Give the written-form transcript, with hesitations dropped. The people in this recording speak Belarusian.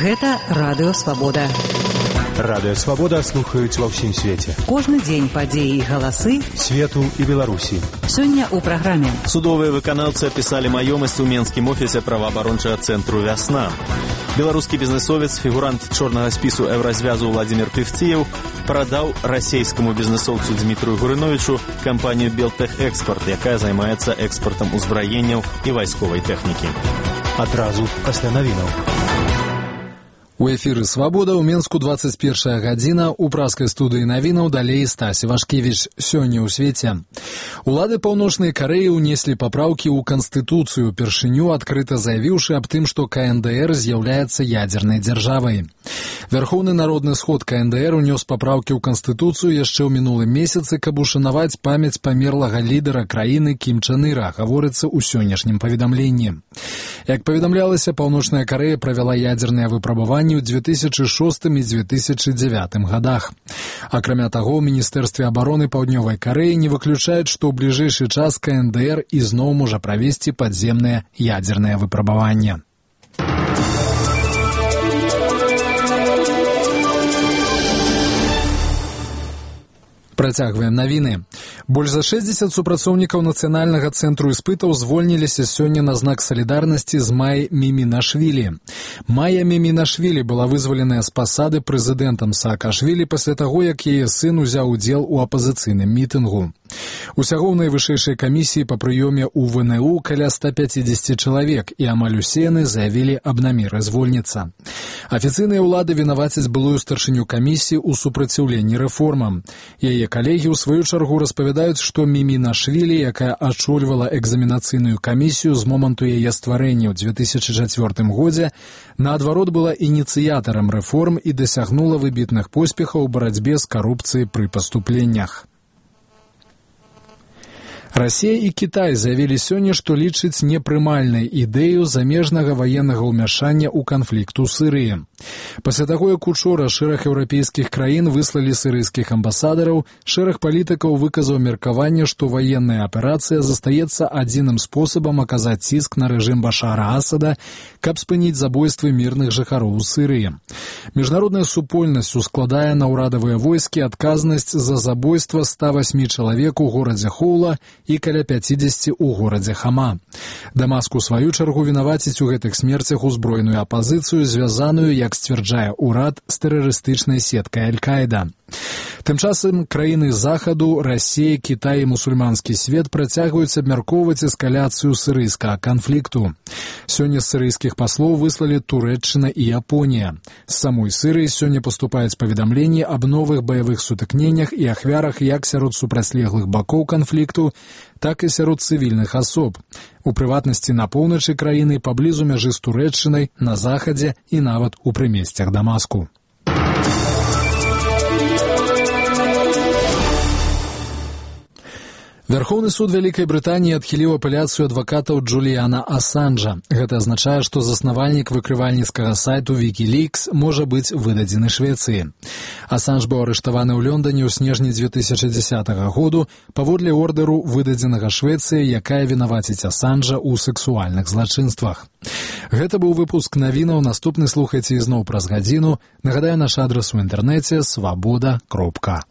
Гэта Радыё Свабода. Радыё Свабода слухаюць ва ўсім свеце. Кожны дзень падзеі і галасы свету і Беларусі. Сёння ў праграме. Судовыя выканаўцы апісалі маёмасць у Менскім офісе праваабарончага цэнтру «Вясна». Беларускі бізнесовец, фігурант чорнага спісу Еўразвязу Владзімір Певціеў прадаў расейскаму бізнесоўцу Дмітрию Гурыновічу кампанію «Белтэхэкспорт», якая займаецца экспартам узбраенняў і вайсковай тэхнікі. Адразу пасля навінаў. У эфіры «Свабода» ў Менску 21 гадзіна. У праскай студыі навінаў далей Стась Івашкевіч. Сёння ў свеце. Улады Паўночнай Карэі ўнеслі папраўкі ў Канстытуцыю, упершыню адкрыта заявіўшы аб тым, што КНДР з'яўляецца ядзернай дзяржавай. Вярхоўны народны сход КНДР унёс папраўкі ў Канстытуцыю яшчэ ў мінулым месяцы, каб ушанаваць памяць памерлага лідара краіны Кім Чен Іра, гаворыцца ў сённяшнім паведамленні. Як паведамлялася, Паўночная Карэя правяла ядзерныя выпрабаванні ў 2006 і 2009 годах. Акрамя таго, ў Міністэрстве абароны Паўднёвай Карэі не выключаюць, што ў бліжэйшы час КНДР ізноў можа правесці падземныя ядзерныя выпрабаванні. Працягваем навіны. Больш за 60 супрацоўнікаў Нацыянальнага цэнтру іспытаў звольніліся сёння на знак салідарнасці з Май Мімінашвілі. Майя Мімінашвілі была вызваленая з пасады прэзідэнтам Саакашвілі пасля таго, як яе сын узяў удзел у апазіцыйным мітынгу. Усяго ў найвышэйшай камісіі па прыёме ў ВНУ каля 150 чалавек, і амаль усе яны заявілі аб намеры звольніцца. Афіцыйныя ўлады вінавацяць былую старшыню камісіі ў супраціўленні рэформам. Яе калегі ў сваю чаргу распавядаюць, што Мімінашвілі, якая ачольвала экзаменацыйную камісію з моманту яе стварэння ў 2004 годзе, наадварот была ініцыятарам рэформ і дасягнула выбітных поспехаў у барацьбе з карупцыяй пры паступленнях. Расія і Кітай заявілі сёння, што лічаць непрымальнай ідэю замежнага ваеннага ўмяшання ў канфлікт у Сірыі. Пасля таго, як учора шэраг еўрапейскіх краін выслалі сірыйскіх амбасадараў, шэраг палітыкаў выказаў меркаванне, што ваенная аперацыя застаецца адзіным спосабам аказаць ціск на рэжым Башара Асада, каб спыніць забойствы мірных жыхароў у Сірыі. Міжнародная супольнасць ускладае на ўрадавыя войскі адказнасць за забойства 108 чалавек у горадзе Хоула і каля 50 у горадзе Хама. Дамаск у сваю чаргу вінаваціць у гэтых смерцях узброеную апазіцыю, звязаную, як сцвярджае ўрад, з тэрарыстычнай сеткай Аль-Каіда. Тым часам краіны Захаду, Расія, Кітай і мусульманскі свет працягваюць абмяркоўваць эскаляцыю сірыйскага канфлікту. Сёння з сірыйскіх паслоў выслалі Турэччына і Японія. З самой Сірыі сёння паступаюць паведамленні аб новых баявых сутыкненнях і ахвярах як сярод супрацьлеглых бакоў канфлікту, так і сярод цывільных асоб. У прыватнасці на поўначы краіны, паблізу мяжы з Турэччынай, на захадзе і нават у прымесцях Дамаску. Вярхоўны суд Вялікай Брытаніі адхіліў апеляцыю адвакатаў Джуліяна Асанжа. Гэта азначае, што заснавальнік выкрывальніцкага сайту Wikileaks можа быць выдадзены Швецыі. Асанж быў арыштаваны ў Лондоне ў снежні 2010 году паводле ордэру, выдадзенага Швецыі, якая вінаваціць Асанжа ў сексуальных злачынствах. Гэта быў выпуск навінаў. Наступны слухайце ізноў праз гадзіну. Нагадаю, наш адрас у інтэрнэце свабода.орг.